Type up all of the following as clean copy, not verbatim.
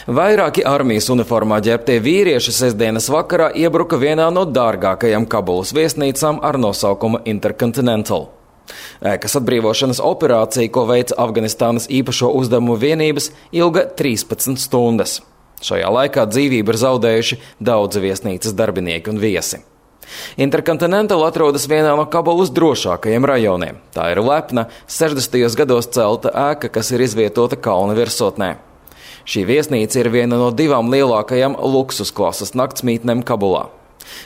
Vairāki armijas uniformā ģērbtie vīrieši sestdienas vakarā iebruka vienā no dārgākajām Kabulas viesnīcām ar nosaukumu Intercontinental. Ēkas atbrīvošanas operācija, ko veica Afganistānas īpašo uzdevumu vienības, ilga 13 stundas. Šajā laikā dzīvību ir zaudējuši daudzi viesnīcas darbinieki un viesi. Intercontinental atrodas vienā no Kabulas drošākajiem rajoniem. Tā ir lepna, 60. gados celta ēka, kas ir izvietota kalna virsotnē. Šī viesnīca ir viena no 2 lielākajām luksusklases naktsmītnēm Kabulā.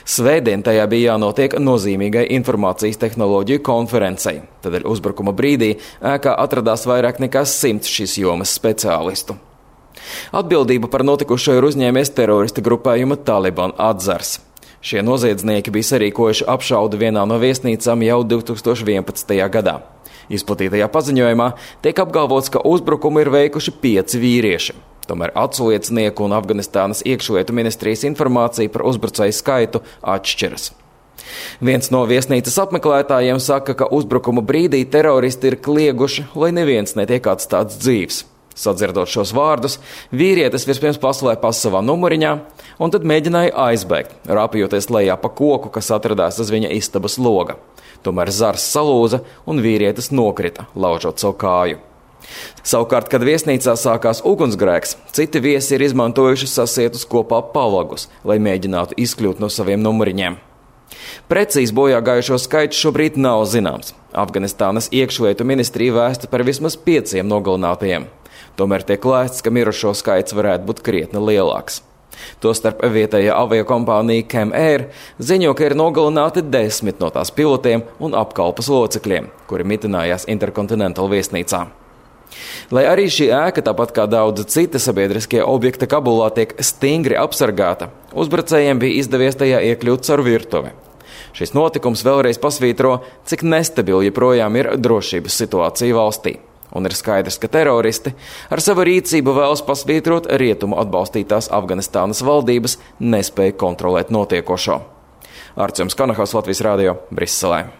Svētdien tajā bija jānotiek nozīmīgai informācijas tehnoloģiju konferencei. Tādēļ uzbrukuma brīdī ēkā atradās vairāk nekā 100 šīs jomas speciālistu. Atbildību par notikušo ir uzņēmies terorista grupējuma Taliban atzars. Šie noziedznieki bija sarīkojuši apšaudu vienā no viesnīcām jau 2011. gadā. Izplatītajā paziņojumā tiek apgalvots, ka uzbrukumu ir veikuši 5 vīrieši. Tomēr atsliecinieku un Afganistānas iekšlietu ministrijas informācija par uzbrucēju skaitu atšķiras. Viens no viesnīcas apmeklētājiem saka, ka uzbrukumu brīdī teroristi ir klieguši, lai neviens netiek atstāts dzīvs. Sadzirdot šos vārdus, vīrietis vispirms paslēpās savā numuriņā un tad mēģināja aizbēgt, rāpjoties lejā pa koku, kas atradās uz viņa istabas loga. Tomēr zars salūza un vīrietis nokrita, laužot savu kāju. Savukārt, kad viesnīcā sākās ugunsgrēks, citi viesi ir izmantojuši sasietus kopā palagus, lai mēģinātu izkļūt no saviem numuriņiem. Precīzi bojā gājušo skaits šobrīd nav zināms. Afganistānas iekšlietu ministrija vēsta par vismaz 5 nogalinātajiem. Tomēr tiek lēsts, ka mirušo skaits varētu būt krietni lielāks. Tostarp vietējā aviokompānija Cam Air ziņo, ka ir nogalināti 10 no tās pilotiem un apkalpas locekļiem, kuri mitinājās Intercontinental viesnīcā. Lai arī šī ēka, tāpat kā daudzi citi sabiedriskie objekti Kabulā, tiek stingri apsargāta, uzbrucējiem bija izdevies tajā iekļūt caur virtuvi. Šis notikums vēlreiz pasvītro, cik nestabili joprojām ir drošības situācija valstī. Un ir skaidrs, ka teroristi ar savu rīcību vēlas pasvītrot rietumu atbalstītās Afganistānas valdības nespēju kontrolēt notiekošo. Artjoms Kanahos, Latvijas radio, Briselē.